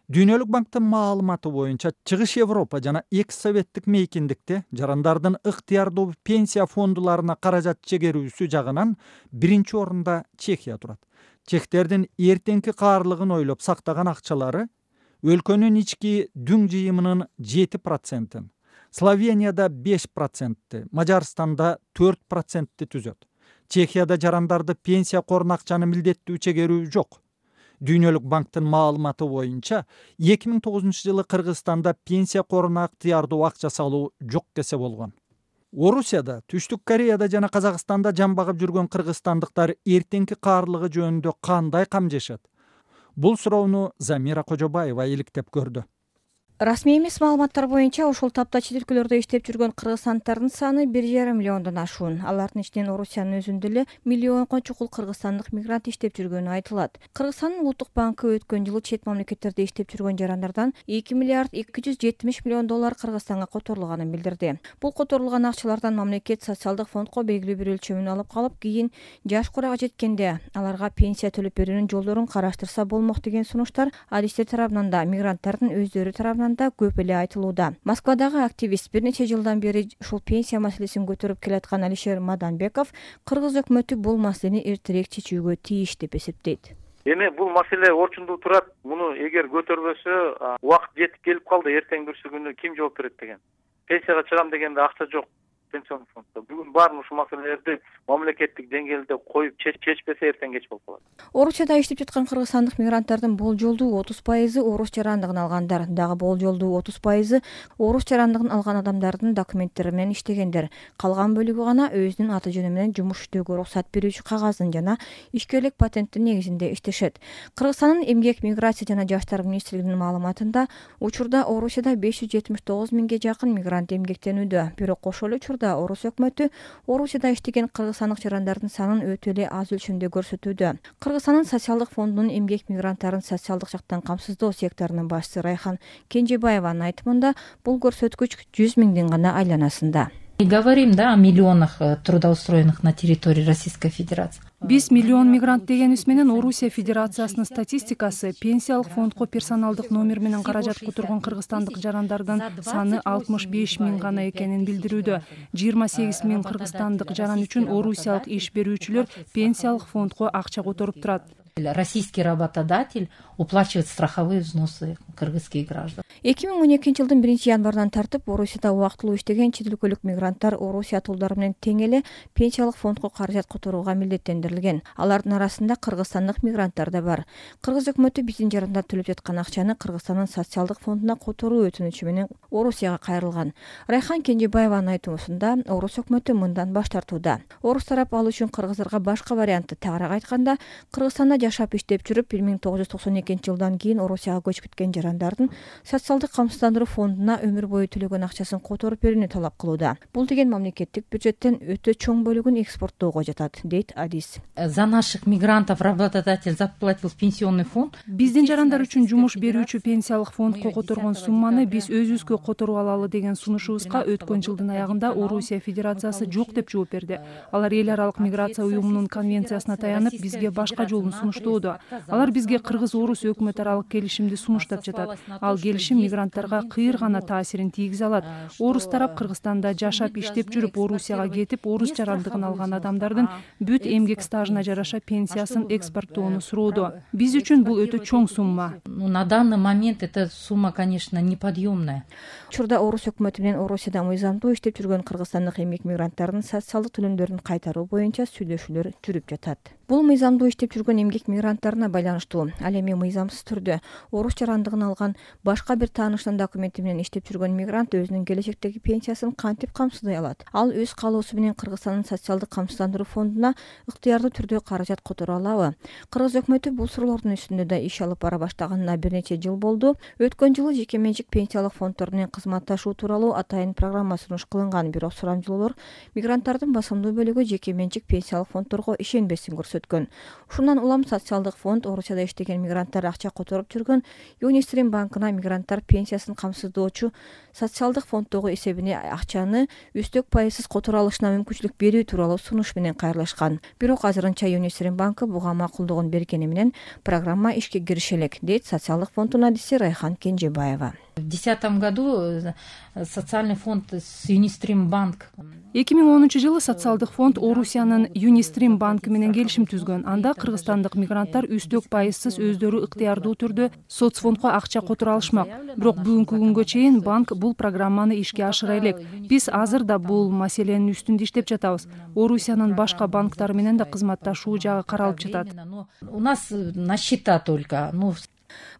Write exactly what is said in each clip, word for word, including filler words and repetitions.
Дүйнөлүк банктын маалыматы боюнча Чыгыш Европа жана экс советтик мейкиндикте жарандардын ыктыярдуу пенсия фондуларына каражат чегерүүсү жагынан биринчи орунда Чехия турат. Чехтердин эртеңки каарлыгын ойлоп сактаган акчалары өлкөнүн ички дүң жыйымынын жети процентин, Словенияда беш процентти, Мажарстанда төрт процентти түзөт. Чехияда жарандарды пенсия коруна акчаны милдеттүү чегерүү жок. Дүйнөлүк банктын маалыматы боюнча эки миң тогузунчу жылы Кыргызстанда пенсия коруна ыктыярдуу акча салуу жок десе болгон. Орусияда, Түштүк Кореяда жана Казакстанда жан багып жүргөн кыргызстандыктар эртеңки каарлыгы жөнүндө кандай камжешет? Бул суроону Замира Кожобаева иликтеп көрдү. Расмий эмес маалыматтар боюнча ушул тапта чет өлкөлөрдө иштеп жүргөн кыргызстандыктардын саны бир жарым миллиондон ашуун. Алардын ичинен Орусиянын өзүндө эле миллионго чукул кыргызстандык мигрант иштеп жүргөнү айтылат. Кыргызстандын улуттук банкы өткөн жылы чет мамлекеттерде иштеп жүргөн жарандардан эки миллиард эки жүз жетимиш миллион доллар Кыргызстанга которулганын билдирди. Бул которулган акчалардан мамлекет социалдык фондко белгилүү бир өлчөмүн алып калып, кийин жаш курага жеткенде аларга пенсия төлөп берүүнүн жолдорун караштырса болмок деген сунуштар адистер тарабынан да, мигранттардын өздөрү тарабынан да көп эле айтылууда. Москвадагы активист бир нече жылдан бери ушул пенсия маселесин көтөрүп келаткан Алишер Маданбеков кыргыз өкмөтү бул маселени эртерээк чечүүгө тийиш деп эсептейт. Эми бул маселе орчундуу турат. Муну эгер көтөрбөсө, убакыт жетип келип калды, эртең бүрсү күнү ким жооп берет деген. Пенсияга чыгам дегенде акча жок пенсионный фонддо. Бүгүн баарын ушул маселелерди мамлекеттик деңгээлде коюп чечпесе эртең кеч болуп калат. Орусияда иштеп жаткан кыргызстандык мигранттардын болжолдуу отуз пайызы орус жарандыгын алгандар, дагы болжолдуу отуз пайызы орус жарандыгын алган адамдардын документтери менен иштегендер. Калган бөлүгү гана өзүнүн аты жөнү менен жумуш иштөөгө уруксат берүүчү кагаздын жана ишкерлик патенттин негизинде иштешет. Кыргызстандын эмгек, миграция жана жаштар министрлигинин маалыматында учурда Орусияда беш жүз жетимиш тогуз миңге жакын мигрант эмгектенүүдө. Бирок ошол учурда Орус өкмөтү Орусияда иштеген кыргызстандык жарандардын санын өтө эле аз өлчөмдө көрсөтүүдө. Кыргызстандын социалдык фондунун эмгек мигранттарын социалдык жактан камсыздоо секторунун башчысы Райхан Кенжебаеванын айтымында бул көрсөткүч жүз миңдин гана айланасында. И говорим, да, о миллионах трудоустроенных на территории Российской Федерации. Биз миллион мигрант дегенибиз менен Орусия Федерациясынын статистикасы пенсиялык фондко персоналдык номер менен каражат которгон кыргызстандык жарандардын саны алтымыш беш миң гана экенин билдирүүдө. жыйырма сегиз миң кыргызстандык жаран үчүн орусиялык иш берүүчүлөр пенсиялык фондко акча которуп турат. Российский работодатель уплачивает страховые взносы кыргызских граждан. эки миң он экинчи жылдын биринчи январынан тартып Орусияда убактылуу иштеген чет өлкөлүк мигранттар Орусия тулдары менен тең эле пенсиялык фондко каражат которууга милдеттендирилген. Алардын арасында кыргызстандык мигранттар да бар. Кыргыз өкмөтү биздин жарандар төлөп жаткан акчаны Кыргызстандын социалдык фондуна которуу өтүнүчү менен Орусияга кайрылган. Райхан Кенжебаеванын айтуусунда Орус өкмөтү мындан баш тартууда. Орус тарап ал үчүн кыргыздарга башка вариантты, тагыраак айтканда, Кыргызстанда жашап иштеп жүрүп бир миң тогуз жүз токсон экинчи жылдан кийин Орусияга көчүп кеткен жарандардын социалдык камсыздандыруу фондуна өмүр бою төлөгөн акчасын которуп берүүнү талап кылууда. Бул деген мамлекеттик бюджеттен өтө чоң бөлүгүн экспорттоого жатат, дейт адис. За наших мигрантов работодатель заплатил в пенсионный фонд. Биздин жарандар үчүн жумуш берүүчү пенсиялык фондко которгон сумманы биз өзүбүзгө которуп алалы деген сунушубузга өткөн жылдын аягында Орусия Федерациясы жок деп жооп берди. Алар эл аралык миграция уюмунун конвенциясына таянып, бизге башка жолун сунуштоодо. Алар бизге кыргыз-орус өкмөт аралык келишимди сунуштап жатат. Ал келишим мигранттарга кыйыр гана таасирин тийгизе алат. Орус тарап Кыргызстанда жашап иштеп жүрүп Орусияга кетип, орус жарандыгын алган адамдардын бүт эмгек стажына жараша пенсиясын экспорттоону суроодо. Биз үчүн бул өтө чоң сумма. Ну, на данный момент эта сумма, конечно, неподъемная. Учурда Орус өкмөтү менен Орусияда мыйзамдуу иштеп жүргөн кыргызстандык эмгек мигранттардын социалдык төлөмдөрүн кайтаруу боюнча сүйлөшүүлөр жүрүп жатат. Бул мыйзамдуу иштеп жүргөн эмгек мигранттарына байланыштуу. Ал эми мыйзамсыз түрдө орус жарандыгын алган башка бир таанышынын документи менен иштеп жүргөн мигрант өзүнүн келечектеги пенсиясын кантип камсыздай алат? Ал өз каалоосу менен Кыргызстандын социалдык камсыздандыруу фондуна ыктыярдуу түрдө каражат которо алабы? Кыргыз өкмөтү бул суроолордун үстүндө да иш алып бара баштаганына бир нече жыл болду. Өткөн жылы жеке менчик пенсиялык фонддор менен кызматташуу тууралуу атайын программа сунуш кылынган, бирок сурамжылоолор мигранттардын басымдуу бөлүгү жеке менчик пенсиялык фонддорго ишенбесин көрсөткөн. Ушундан улам социалдык фонд Орусияда иштеген мигранттар мигранттар акча которуп жүргөн Юнистрим банкына мигранттар пенсиясын камсыздоочу социалдык фонддогу эсебине акчаны үстөк пайызсыз которо алышына мүмкүнчүлүк берүү тууралуу сунуш менен кайрылышкан. Бирок азырынча Юнистрим банкы буга макулдугун бергени менен программа ишке кириши элек, дейт социалдык фонддун адиси Райхан Кенжебаева. В две тысячи десятом году социальный фонд с Юнистрим банк. эки миң онунчу жылы социалдык фонд Орусиянын Юнистрим банкы менен келишим түзгөн. Анда кыргызстандык мигранттар үстөк пайызсыз өздөрү ыктыярдуу түрдө соцфондго акча которо алышмак. Бирок бүгүнкү күнгө чейин банк бул программаны ишке ашыра элек. Биз азыр да бул маселенин үстүндө иштеп жатабыз. Орусиянын башка банктары менен да кызматташуу жагы каралып жатат. У нас на счета только, ну,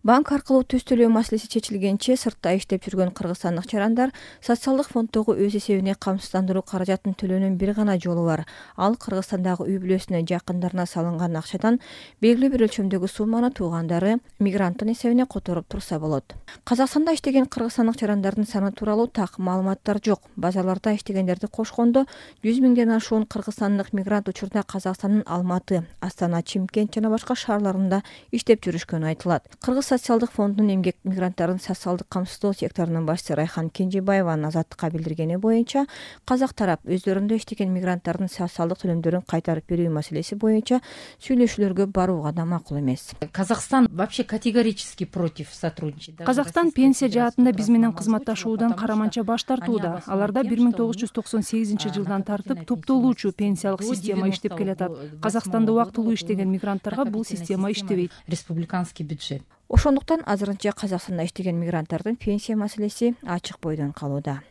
Банк аркылуу түз төлөө маселеси чечилгенче сыртта иштеп жүргөн кыргызстандык жарандар социалдык фонддогу өз эсебине камсыздандыруу каражатын төлөөнүн бир гана жолу бар. Ал Кыргызстандагы үй бүлөсүнө жакындарына салынган акчадан белгилүү бир өлчөмдөгү сумманы туугандары мигранттын эсебине которуп турса болот. Казакстанда иштеген кыргызстандык жарандардын саны тууралуу так маалыматтар жок. Базарларда иштегендерди кошкондо жүз миңден ашуун кыргызстандык мигрант учурда Казакстандын Алматы, Астана, Чимкент жана башка шаарларында иштеп жүрүшкөнү айтылат. Кыргыз социалдык фондунун эмгек мигранттарын социалдык камсыздоо секторунун башчысы Райхан Кенжебаеванын Азаттыкка билдиргени боюнча, казак тарап өздөрүндө иштеген мигранттардын социалдык төлөмдөрүн кайтарып берүү маселеси боюнча сүйлөшүүлөргө барууга да макул эмес. Казахстан вообще категорически против сотрудничества. Казакстан пенсия жаатында биз менен кызматташуудан караманча баш тартууда. Аларда бир миң тогуз жүз токсон сегизинчи жылдан тартып топтолуучу пенсиялык система иштеп келатат. Казакстанда убактылуу иштеген мигранттарга бул система иштебейт. Республиканский бюджет. Ошондуктан азырынча Казакстанда иштеген мигранттардын пенсия маселеси ачык бойдон калууда.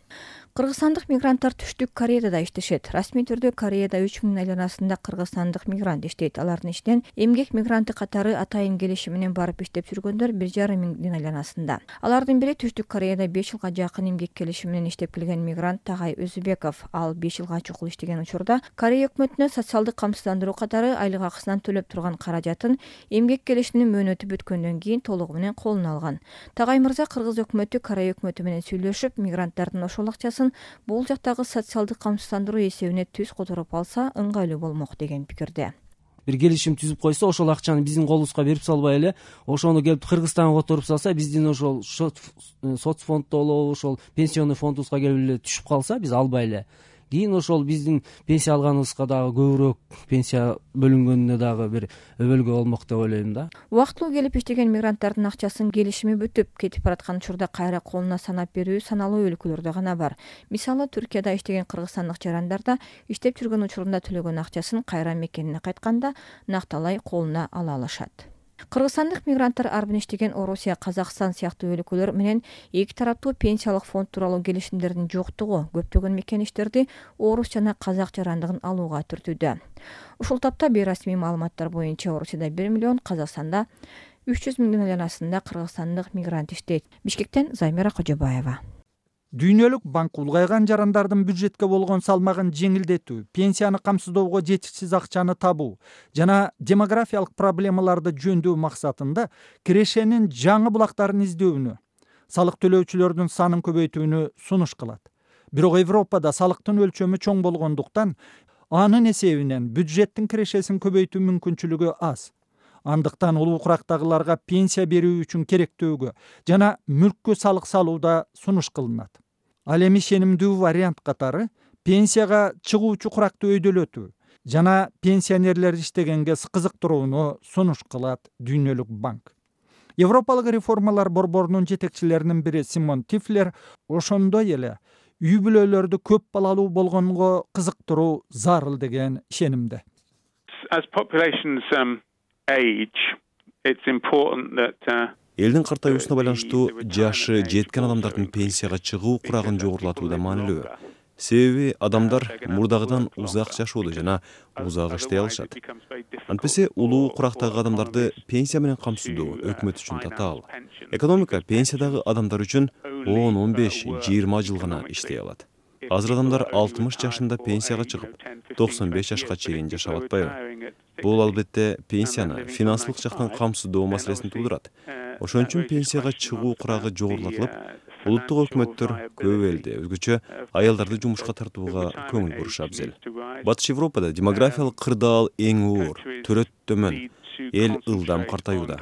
Кыргызстандык мигранттар Түштүк Кореяда да иштешет. Расмий түрдө Кореяда үч миңдин айланасында кыргызстандык мигрант иштейт. Алардын ичинен эмгек мигранты катары атайын келишим менен барып иштеп жүргөндөр бир жарым миңдин айланасында. Алардын бири Түштүк Кореяда беш жылга жакын эмгек келишим менен иштеп келген мигрант Тагай Өзүбеков. Ал беш жылга чукул иштеген учурда Корея өкмөтүнө социалдык камсыздандыруу катары айлык акысынан төлөп турган каражатын эмгек келишиминин мөөнөтү бүткөндөн кийин толугу менен колуна алган. Тагай мырза Кыргыз өкмөтү Корея өкмөтү менен сүйлөшүп, мигранттардын ошол акчасын бул жактагы социалдык камсыздандыруу эсебине түз которуп алса ыңгайлуу болмок деген пикирде. Бир келишим түзүп койсо, ошол акчаны биздин колубузга берип салбай эле, ошону келип Кыргызстанга которуп салса, биздин ошол соцфонддо болобу, ошол пенсионный фондубузга келип эле түшүп калса, биз албай эле. Кийин ошол биздин пенсия алганыбызга дагы көбүрөөк пенсия бөлүнгөнүнө дагы бир өбөлгө болмок деп ойлойм да. Убактылуу келип иштеген мигранттардын акчасын келишими бүтүп кетип бараткан учурда кайра колуна санап берүү саналуу өлкөлөрдө гана бар. Мисалы Түркияда иштеген кыргызстандык жарандар да иштеп жүргөн учурунда төлөгөн акчасын кайра мекенине кайтканда накталай колуна ала алышат. Кыргызстандык мигранттар арбын иштеген Орусия, Казакстан сыяктуу өлкөлөр менен эки тараптуу пенсиялык фонд тууралуу келишимдердин жоктугу көптөгөн мекеништерди орус жана казак жарандыгын алууга түртүүдө. Ушул тапта бейрасмий маалыматтар боюнча Орусияда бир миллион, Казакстанда үч жүз миңдин айланасында кыргызстандык мигрант иштейт. Бишкектен Займира Кожобаева. Дүйнөлүк банк улгайган жарандардын бюджетке болгон салмагын жеңилдетүү, пенсияны камсыздоого жетишсиз акчаны табуу жана демографиялык проблемаларды жөндөүү максатында кирешенин жаңы булактарын издөөнү, салык төлөөчүлөрдүн санын көбөйтүүнү сунуш кылат. Бирок Европада салыктын өлчөмү чоң болгондуктан анын эсебинен бюджеттин кирешесин көбөйтүү мүмкүнчүлүгү аз. Андыктан улуу курактагыларга пенсия берүү үчүн керектөөгө жана мүлккө салык салууда сунуш кылынат. Ал эми ишенимдүү вариант катары пенсияга чыгуучу куракты өйдөлөтүү жана пенсионерлер иштегенге кызыктырууну сунуш кылат Дүйнөлүк банк. Европалык реформалар борборунун жетекчилеринин бири Симон Тифлер ошондой эле үй бүлөлөрдү көп балалуу болгонго кызыктыруу зарыл деген ишенимде. As populations um, age, it's important that uh... Элдин картаюусуна байланыштуу жашы жеткен адамдардын пенсияга чыгуу курагын жогорулатуу да маанилүү. Себеби адамдар мурдагыдан узак жашоодо жана узак иштей алышат. Антпесе улуу курактагы адамдарды пенсия менен камсыздоо өкмөт үчүн татаал. Экономика пенсиядагы адамдар үчүн он он беш жыйырма жыл гана иштей алат. Азыр адамдар алтымыш жашында пенсияга чыгып, токсон беш жашка чейин жашап атпайбы? Бул албетте пенсияны финансылык жактан камсыздоо маселесин туудурат. Ошон үчүн пенсияга чыгуу курагы жогорулатылып, улуттук өкмөттөр көп элде өзгөчө аялдарды жумушка тартууга көңүл бурушу абзел. Батыш Европада демографиялык кырдаал эң оор, төрөт төмөн, эл ылдам картаюуда.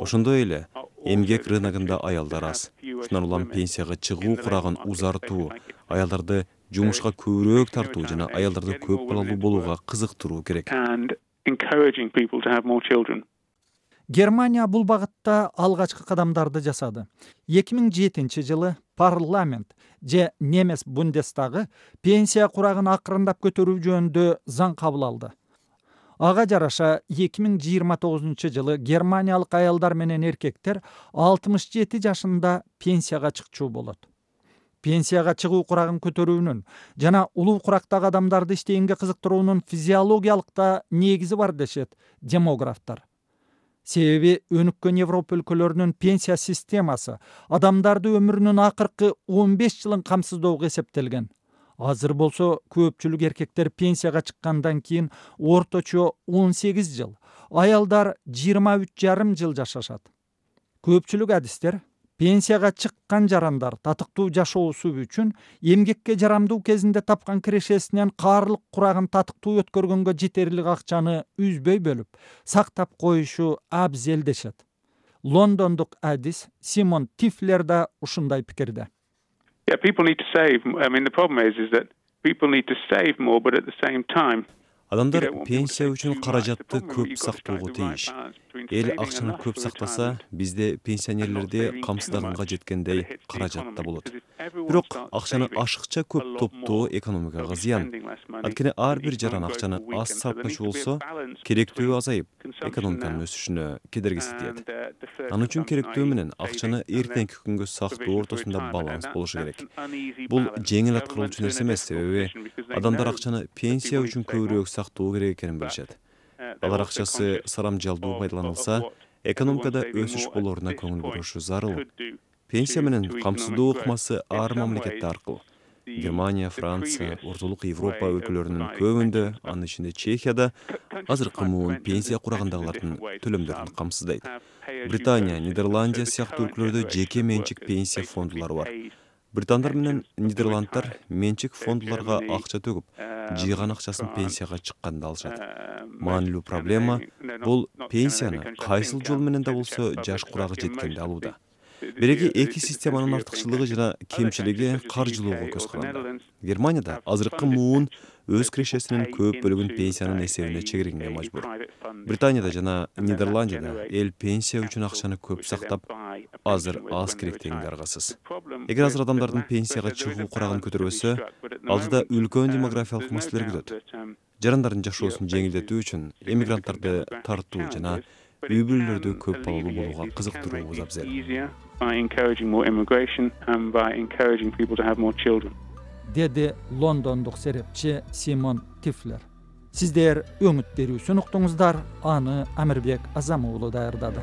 Ошондой эле эмгек рыногунда аялдар аз. Ушундан улам пенсияга чыгуу курагын узартуу, аялдарды жумушка көбүрөөк тартуу жана аялдарды көп балалуу болууга кызыктыруу керек. Германия бул багытта алгачкы кадамдарды жасады. эки миң жетинчи жылы парламент же немес Бундестагы пенсия курагын акырындап көтөрүү жөнүндө заң кабыл алды. Ага жараша эки миң жыйырма тогузунчу жылы германиялык аялдар менен эркектер алтымыш жети жашында пенсияга чыкчу болот. Пенсияга чыгуу курагын көтөрүүнүн жана улуу курактагы адамдарды иштегенге кызыктыруунун физиологиялык да негизи бар дешет демографтар. Себеби өнүккөн Европа өлкөлөрүнүн пенсия системасы адамдарды өмүрүнүн акыркы он беш жылын камсыздоого эсептелген. Азыр болсо көпчүлүк эркектер пенсияга чыккандан кийин орточо он сегиз жыл, аялдар жыйырма үч жарым жыл жашашат. Көпчүлүк адистер пенсияга чыккан жарандар татыктуу жашоосу үчүн эмгекке жарамдуу кезинде тапкан кирешесинен каарлык курагын татыктуу өткөргөнгө жетерлик акчаны үзбөй бөлүп, сактап коюшу абзел дешет. Лондондук адис Симон Тифлер да ушундай пикирде. Yeah, people need to save. I mean, the problem is, is that people need to save more, but at the same time, Адамдар пенсия үчүн каражатты көп сактоого тийиш. Эл акчаны көп сактаса, бизде пенсионерлерде камсызданганга жеткендей каражат да болот. Бирок акчаны ашыкча көп топтоо экономикага зыян. Анткени ар бир жаран акчаны аз сарпташуу болсо, керектөө азайып, экономиканын өсүшүнө кедергиси тиет. Анын үчүн керектөө менен акчаны эртеңки күнгө сактоо ортосунда баланс болушу керек. Бул жеңил аткарылчу нерсе эмес, себеби адамдар акчаны пенсия үчүн көбүрөөк сактоо керек экенин билишет. Алар акчасы сарамжалдуу пайдаланылса, экономикада өсүш болоруна көңүл бурушу зарыл. Пенсия менен камсыздоо ыкмасы ар мамлекетте аркылуу. Германия, Франция, ортолук Европа өлкөлөрүнүн көбүндө, анын ичинде Чехияда азыркы муун пенсия курагындагылардын төлөмдөрүн камсыздайт. Британия, Нидерландия сыяктуу өлкөлөрдө жеке менчик пенсия фондулары бар. Британдар менен Нидерландтар менчик фондуларга акча төгүп, жыйган акчасын пенсияга чыкканда алышат. Маанилүү проблема бул пенсияны кайсыл жол менен да болсо жаш курагы жеткенде алууда. Биреги эки системанын артыкчылыгы жана кемчилиги каржылоого көз каранды. Германияда азыркы муун өз кирешесинин көп бөлүгүн пенсиянын эсебине чегиргенге мажбур. Британияда жана Нидерландияда эл пенсия үчүн акчаны көп сактап, азыр аз керектегенге аргасыз. Эгер азыр адамдардын пенсияга чыгуу курагын көтөрбөсө, алдыда үлкөн демографиялык маселелер күтөт. Жарандардын жашоосун жеңилдетүү үчүн эмигранттарды тартуу жана үй бүлөлөрдү көп балалуу болууга кызыктыруубуз абзел. Деди лондондук серепчи Симон Тифлер. Сиздер өңүт берүүсүн уктуңуздар, аны Амирбек Азамуулу даярдады.